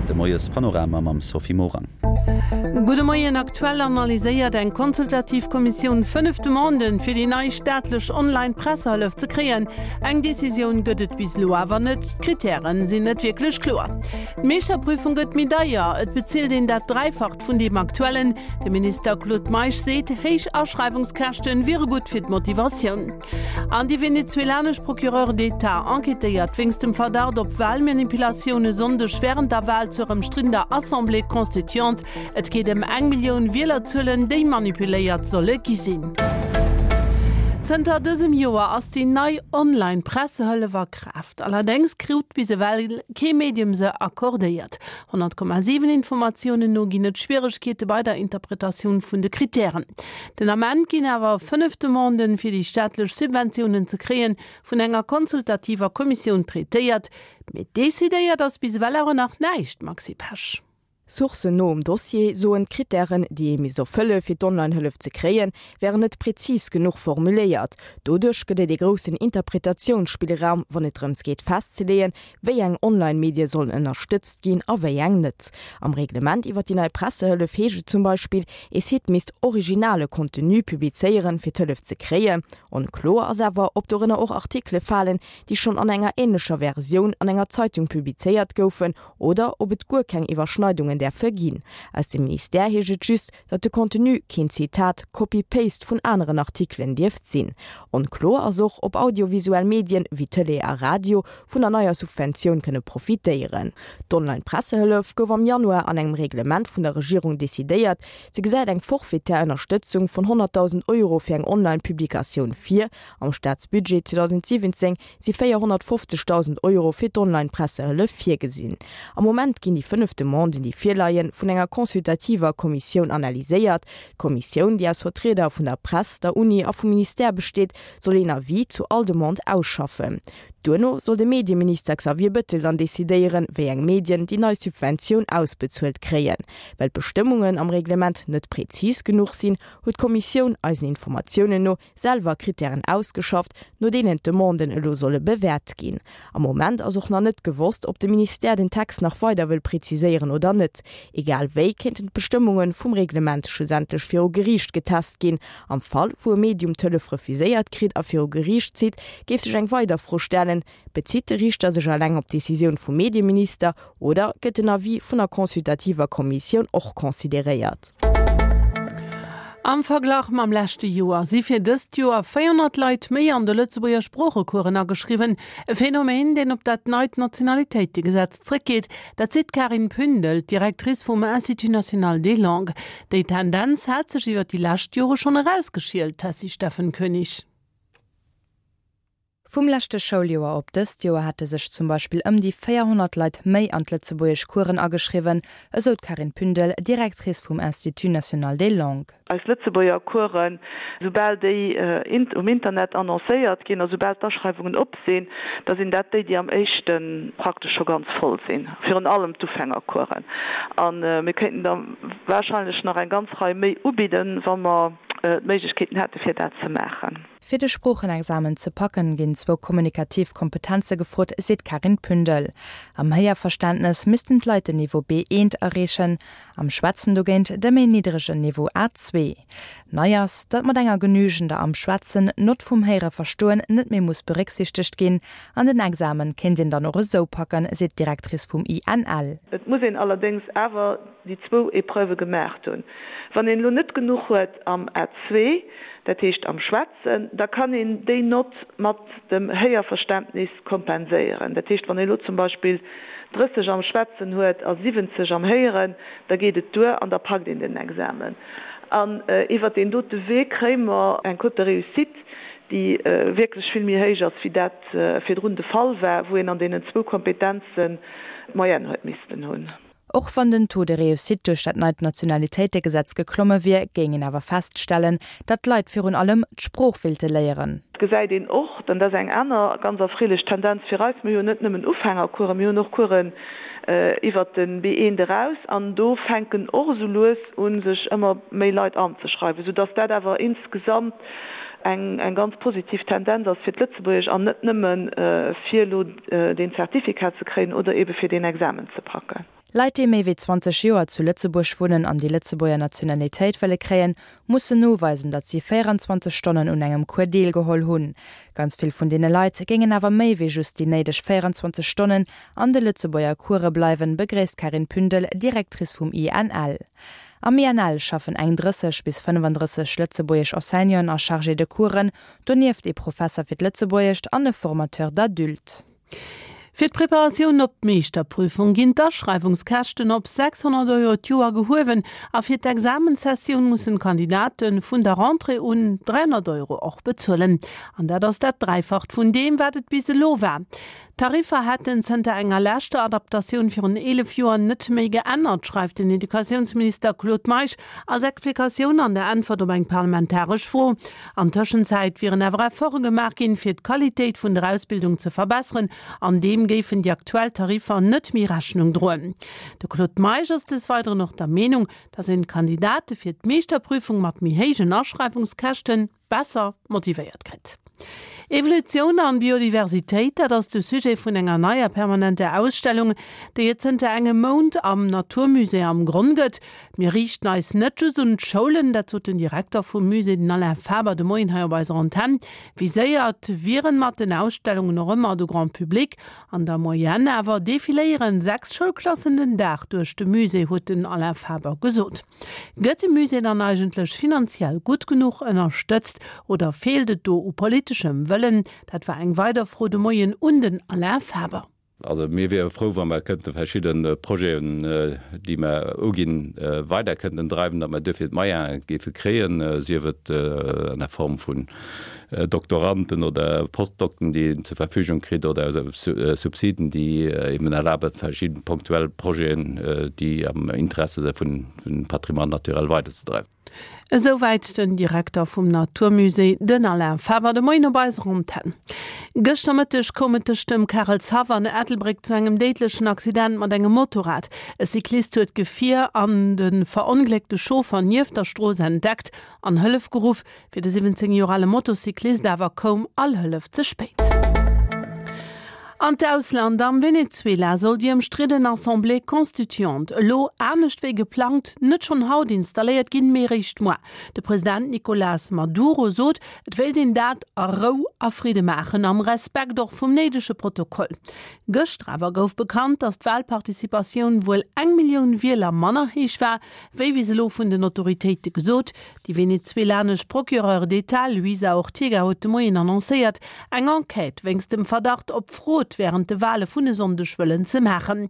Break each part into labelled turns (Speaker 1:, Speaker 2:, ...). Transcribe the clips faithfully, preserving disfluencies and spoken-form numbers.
Speaker 1: de Moiespanorama mam Sophie Morang.
Speaker 2: Gudde Moien, Aktuell analyséiert eng konsultativ Kommissioun fënnef Demanden, fir déi nei staatlech Online-Pressehëllef ze kréien. Eng Decisioun gëtt et bis elo awer net, d'Krittären sinn net wierklech kloer. D'Meeschterprüfung gëtt méi deier, et bezilt een dat Dräifacht vun deem aktuellen. De Minister Claude Meisch seet, héich Aschreiwungskäschten wiere gutt fir d'Motivatioun. An déi venezuelanesch Procureure d'État enquêtéiert wéinst dem Verdacht op Walmanipulatioun e Sonndeg wärend der Wal zur ëmstriddener Assemblée constituante. Et geet ëm eng Millioun Wielerzuelen, déi manipuléiert solle gi sinn. Zënter dësem Joer ass déi nei Online-Pressehëllef a Kraaft. Allerdéngs krut bis ewell kee Medium se accordéiert. Honnert Komma siwen Informatiounen no ginn et Schwieregkeete bei der Interpretatioun vun de Krittären. Den Ament ginn awer fënnef Demanden, fir déi staatlech Subventiounen ze kréien, vun enger konsultativer Kommissioun traitéiert. Mee decidéiert ass bis ewell awer nach näischt, Maxi Pesch.
Speaker 3: Sourcen no um Dossier soen, d'Krittären, déi ee misst erfëlle fir d'Online-Hëllef ze kréien, wären net prezis genuch formuléiert. Doduerch gëtt et ee groussen Interpretatiounsspillraum, wann et drëms geet festzeleeën, wéi eng Online-Medie sollen ënnerstëtzt ginn a wéi eng net. Am Reglement iwwer déi nei Pressehëllef heescht et zum Beispill, ee Site misst originale Contenu publizéieren, fir d'Hëllef ze kréien. Onkloer ass awer, ob dorënner och Artikele falen, déi schonn an enger änlecher Versioun an enger Zeitung publizéiert goufen, oder ob et guer keng Iwwerschneidungen däerfe ginn. Aus dem Ministère heescht et just, datt de Contenu keen Zitat, Copy-Paste vun aneren Artikelen dierft sinn. Onkloer ass och, ob audiovisuell Medien wéi Tëlee a Radio vun der neier Subventioun kënne profitéieren. D'Online-Pressehëllef gouf am Januar an engem Reglement vun der Regierung decidéiert. Se gesäit eng forfaitär Ënnerstëtzung vun honnertdausend Euro fir eng Online-Publikatioun vir. Am Staatsbudget zweedausendsiwwenzéng si véierhonnertfofzegdausend Euro fir d'Online-Pressehëllef virgesinn. Am Moment ginn déi fënnef Demanden, déi virleien, vun enger consultativer Kommissioun analyséiert. D'Kommissioun, déi aus Vertrieder vun der Press, der Uni a vum Ministère besteet, soll een Avis zu all Demande ausschaffen. Duerno soll de Medieminister Xavier Bettel dann decidéieren, wéi eng Medien déi nei Subventioun ausbezuelt kréien. Well d'Bestëmmungen am Reglement net prezis genuch sinn, huet d'Kommissioun eisen Informatiounen no selwer Krittären ausgeschafft, no deenen d'Demanden elo solle bewäert ginn. Am Moment ass och nach net gewosst, ob de Ministère den Text nach weider wëll preziséieren oder net. Egal wéi kéinten d'Bestëmmunge vum Reglement schlussendlech viru Geriicht getest ginn. Am Fall, wou e Medium d'Hëllef refuséiert kritt a viru Geriicht zitt, géif sech eng weider Fro stellen, Bezitt de Riichter sech eleng op d'Decisioun vum Medieminister oder gëtt den Avis vun der consultativer Kommissioun och consideréiert?
Speaker 2: Am Verglach mam leschte Joer si fir dëst Joer véierhonnert Leit méi an de Lëtzebuerger Sproochecoursen ageschriwwen. E Phänomen, deen op dat neit Nationalitéitegesetz zréckgeet. Dat seet d'Karin Pündel, d'Directrice vum Institut national des langues. Déi Tendenz hat sech iwwer déi lescht Jore schonn erausgeschielt, Tessy Steffen Koenig.
Speaker 4: Vum leschte Schouljoer op dëst Joer hate sech zum Beispill ëm déi véierhonnert Leit méi an d'Lëtzebuergesch-Coursen ageschriwwen, esou d'Karin Pündel, Directrice vum Institut national des langues.
Speaker 5: Eis Lëtzebuerger Coursen, soubal déi um Internet annoncéiert ginn a soubal d'Aschreiwungen op sinn, da sinn dat déi, déi am éischte praktesch scho ganz voll sinn, virun allem d'Ufängercoursen. A mir kéinten der warscheinlech nach eng ganz Rei méi ubidden, wa mer d'Méiglechkeeten hätte fir dat ze maachen.
Speaker 4: Fir de Sproochenexamen ze packen, ginn zwou kommunikativ Kompetenze gefrot, seet d'Karin Pündel. Am Héierverständnes missten d'Leit den Niveau B eent erreechen, am Schwätzen dogéint de méi niddregen Niveau A zwee. Nei ass, datt mat enger genügender am Schwätzen Nott vum Héiere-Verstoen net méi muss berécksiichtegt ginn. An den Examen kéint een dann och esou packen, seet d'Directrice vum I N L.
Speaker 5: Et muss een allerdéngs awer déi zwou Epreuvë gemaacht hunn. Wann een elo net genuch huet am A zwee, dat heescht am Schwätzen, da kann een déi Nott mat dem Héierverständnis kompenséieren. Dat heescht, wann ee elo zum Beispill drësseg am Schwätzen huet a siwwenzeg am Héieren, da geet et duer an da packt een den Examen. An iwwert deen dote Wee kréie mer eng Cote de réussite, déi wierklech vill méi héich ass, wéi dat virdrun de Fall war, wou een an deenen zwou Kompetenzen d'Moyenne huet missten hunn.
Speaker 4: Och wann den Taux de réussite duerch dat neit Nationalitéitegesetz geklomme wier, géing een awer feststellen, datt d'Leit virun allem d'Sprooch wéilte léieren.
Speaker 5: Et gesäit een och, dann dat ass eng aner ganz erfreelech Tendenz fir eis, mir hunn net nëmmen Ufängercoursen, mir hunn och Coursen iwwert de B eent eraus an do fänken och esou lues u sech ëmmer méi Leit anzeschreiwen, soudass dat awer insgesamt eng ganz positiv Tendenz ass fir d'Lëtzebuergesch an net nëmme fir elo deen Zertifikat ze kréien oder eebe fir deen Examen ze packen.
Speaker 4: Leit, déi méi wéi zwanzeg Joer zu Lëtzebuerg wunnen an déi Lëtzebuerger Nationalitéit wëlle kréien, mussen noweisen, datt si véierundzwanzeg Stonnen un engem Cours deelgeholl hunn. Ganz vill vun deene Leit géingen awer méi wéi just déi néideg véierundzwanzeg Stonnen an de Lëtzebuerger Course bleiwen, begréisst d'Carine Pündel, Directrice vum I N L. Am I N L schaffen eng drësseg bis fënnefandrësseg lëtzebuergesch Enseignanten a Chargés de coursen, donieft ee Professer fir d'Lëtzebuergescht an e Formateur d'adultes.
Speaker 2: Fir d'Preparatioun op d'Meeschterprüfung ginn d'Aschreiwungskäschten op sechshonnert Euro d'Joer gehuewen a fir d'Examenssessioun mussen d'Kandidate vun der Rentrée un dräihonnert Euro och bezuelen. An dat ass dat Dräifacht vun deem, wat et bis elo war. D'Tariffer hätten zënter enger leschter Adaptatioun virun eelef Joer net méi geännert, schreift den Educatiounsminister Claude Meisch als Explikatioun an der Äntwert op eng parlamentaresch Fro. An Tëschenzäit wieren awer Efforte gemaach ginn, fir d'Qualitéit vun der Ausbildung ze verbesseren, an deem géifen déi aktuell Tariffer net méi Rechnung droen. De Claude Meisch ass des Weideren och der Meenung, datt een d'Kandidate fir d'Meeschterprüfung mat méi héijen Aschreiwungskäschte besser motivéiert kritt. Evolutioun an Biodiversitéit, dat ass de Sujet vun enger neier permanenter Ausstellung, déi et zënter engem Mount am Naturmusée am Gronn gëtt. Mir riichten eis net just un d'Schoulen, dat sot den Direkter vum Musée, den Alain Faber, de Moien hei op eiser Antenn. Viséiert wieren mat den Ausstellungen och ëmmer de Grand Public. An der Moyenne awer defiléieren sechs Schoulklassen den Dag duerch de Musée, huet den Alain Faber gesot. Gëtt de Musée dann eigentlech finanziell gutt genuch ënnerstëtzt oder feelt et do u politeschem Wëllen? Dat war eng weider Fro de Moien un den Alain Faber.
Speaker 6: Also mir wiere frou, wa mer kënnte verschidde Projeten, déi mer uginn, weider kënnten dreiwen, datt mer duerfir d'Moyene géife kréien, sief et an der Form vun Doktoranden oder Postdokten, déi een zur Verfügung kritt, oder Subsiden, déi eben erlaben, verschidde punktuell Projeten, déi am Interesse si vun Patrimoine naturel, weiderzedreiwen.
Speaker 2: Esouwäit den Direkter vum Naturmusée, den Alain Faber, de Moien op eiser Antenn. Gëschter Mëtteg koum et tëscht dem Karelshaff an Ettelbréck zu engem déidlechen Accident mat engem Motorrad. E Cyclist huet d'Gefier an de verongléckte Chauffer nieft der Strooss entdeckt an Hëllef geruff. Fir de siwwenzéng Joer ale Motocyclist awer koum all Hëllef ze spéit. An d'Ausland, Am Venezuela soll déi ëmstridden Assemblée constituante elo anescht wéi geplangt net schonn haut installéiert ginn, mee réischt muer. De President Nicolás Maduro sot, et wéilt een dat a Rou a Fridde maachen, am Respekt och vum néidege Protokoll. Gëschter awer gouf bekannt, datt d'Walparticipatioun wuel eng Millioun Wieler manner héich war, wéi bis elo vun den Autoritéite gesot. Déi venezuelanesch Procureure d'État Luisa Ortega huet de Moien annoncéiert, eng Enquête wéinst dem Verdacht op Frod wärend de Wale vun e Sonndeg wëllen ze maachen.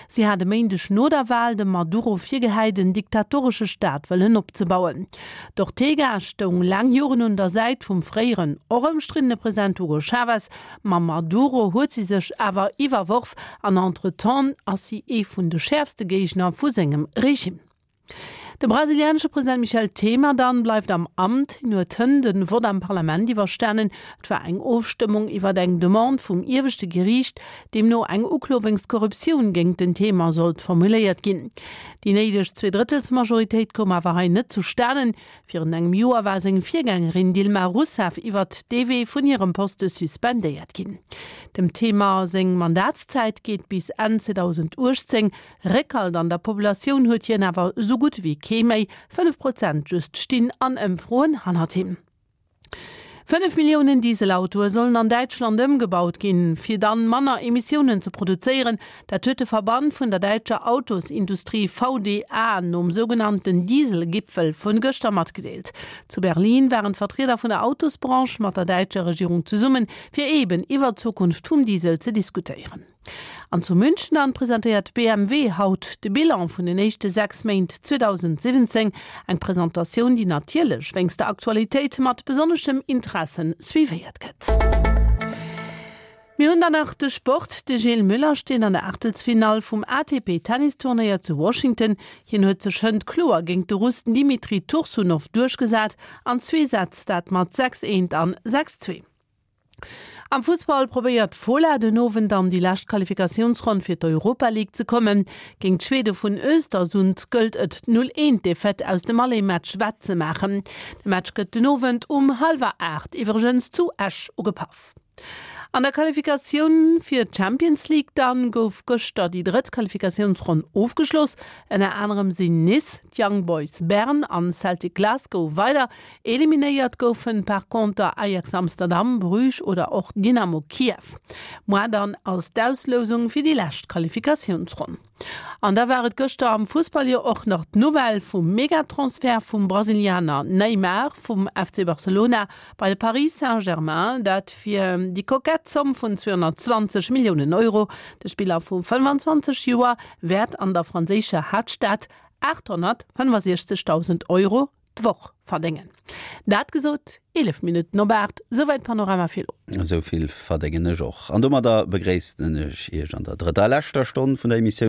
Speaker 2: Si hat e Méindeg no der Wal dem Maduro virgehäit, en diktatoresche Staat wëllen opzebauen. D'Ortega stoung laang Joren un der Säit vum fréieren, och ëmstriddene President Hugo Chavez. Mam Maduro huet si sech awer iwwerworf an entretemps ass si ee vun de schäerfste Géigner vu sengem Regime. De brasilianesche President Michel Temer dann bleift am Amt. Hien huet hënt de Vott am Parlament iwwerstanen. Et war eng Ofstëmmung iwwer eng Demande vum ieweschte Geriicht, deemno eng Uklo wéinst Korruptioun géint den Temer sollt formuléiert ginn. Déi néideg Zweedrëttelsmajoritéit koum awer hei net zustanen. Virun engem Joer war seng Virgängerin Dilma Rousseff iwwert dee Wee vun hirem Poste suspendéiert ginn. Dem Temer seng Mandatszäit geet bis Enn zweedausenduechtzéng. Réckhalt an der Populatioun huet hien awer esou gutt wéi kee méi, fënnef Prozent just stinn an Ëmfroen hannert him. Fënnef Milliounen Dieselautoe sollen an Däitschland ëmgebaut ginn, fir dann manner Emissiounen ze produzéieren. Dat huet de Verband vun der däitscher Autosindustrie V D A nom sougenannten Dieselgipfel vun gëschter matgedeelt. Zu Berlin waren d'Vertrieder vun der Autosbranche mat der däitscher Regierung zesummen, fir eben iwwer d'Zukunft vum Diesel ze diskutéieren. An zu München dann presentéiert B M W haut de Bilan vun den éischte sechs Méint zweedausendsiwwenzéng, eng Presentatioun, déi natierlech wéinst der Aktualitéit mat besonneschem Interesse suivéiert gëtt. Mir hunn dann nach de Sport, De Gilles Müller steet an der Aachtelsfinall vum A T P-Tennisturnéier zu Washington. Hien huet sech hënt kloer géint de Russ Dmitri Tursunov duerchgesat an zwee Sätz, dat mat sechs eent an sechs zwee. Am Fussball probéiert d'Fola den Owend an déi lescht Qualifikatiounsronn fir d'Europa League ze kommen. Géint d'Schwede vun Östersund gëllt et d'Null eent Defaite aus dem Aller-Match wettzemaachen. De Match gëtt den Owend um hallwer aacht iwwregens zu Esch ugepaff. An der Qualifikatioun fir d'Champions League dann gouf gëschter déi drëtt Qualifikatiounsronn ofgeschloss. Ënner anerem sinn Nice, d'Young Boys Bern an Celtic Glasgow weider. Eliminéiert goufen par conter Ajax Amsterdam, Bruges oder och Dynamo Kiew. Muer dann ass d'Auslousung fir déi lescht Qualifikatiounsronn. An da war et gëschter am Fussball jo och nach d'Nouvelle vum Megatransfert vum Brasilianer Neymar vum F C Barcelona bei de Paris Saint-Germain, dat fir déi kokett Zomm vun zweehonnertzwanzeg Milliounen Euro. De Spiller vu fënnfanzwanzeg Joer wäert an der franséischer Haaptstad aathonnertfënnefasiechzegdausend Euro d'Woch verdéngen. Dat gesot, eelef Minutten op aacht, souwäit Panorama fir elo.
Speaker 1: Esou vill verdéngen ech och. An domadder begréissen ech Iech an der drëtter a leschter Stonn vun der Emissioun.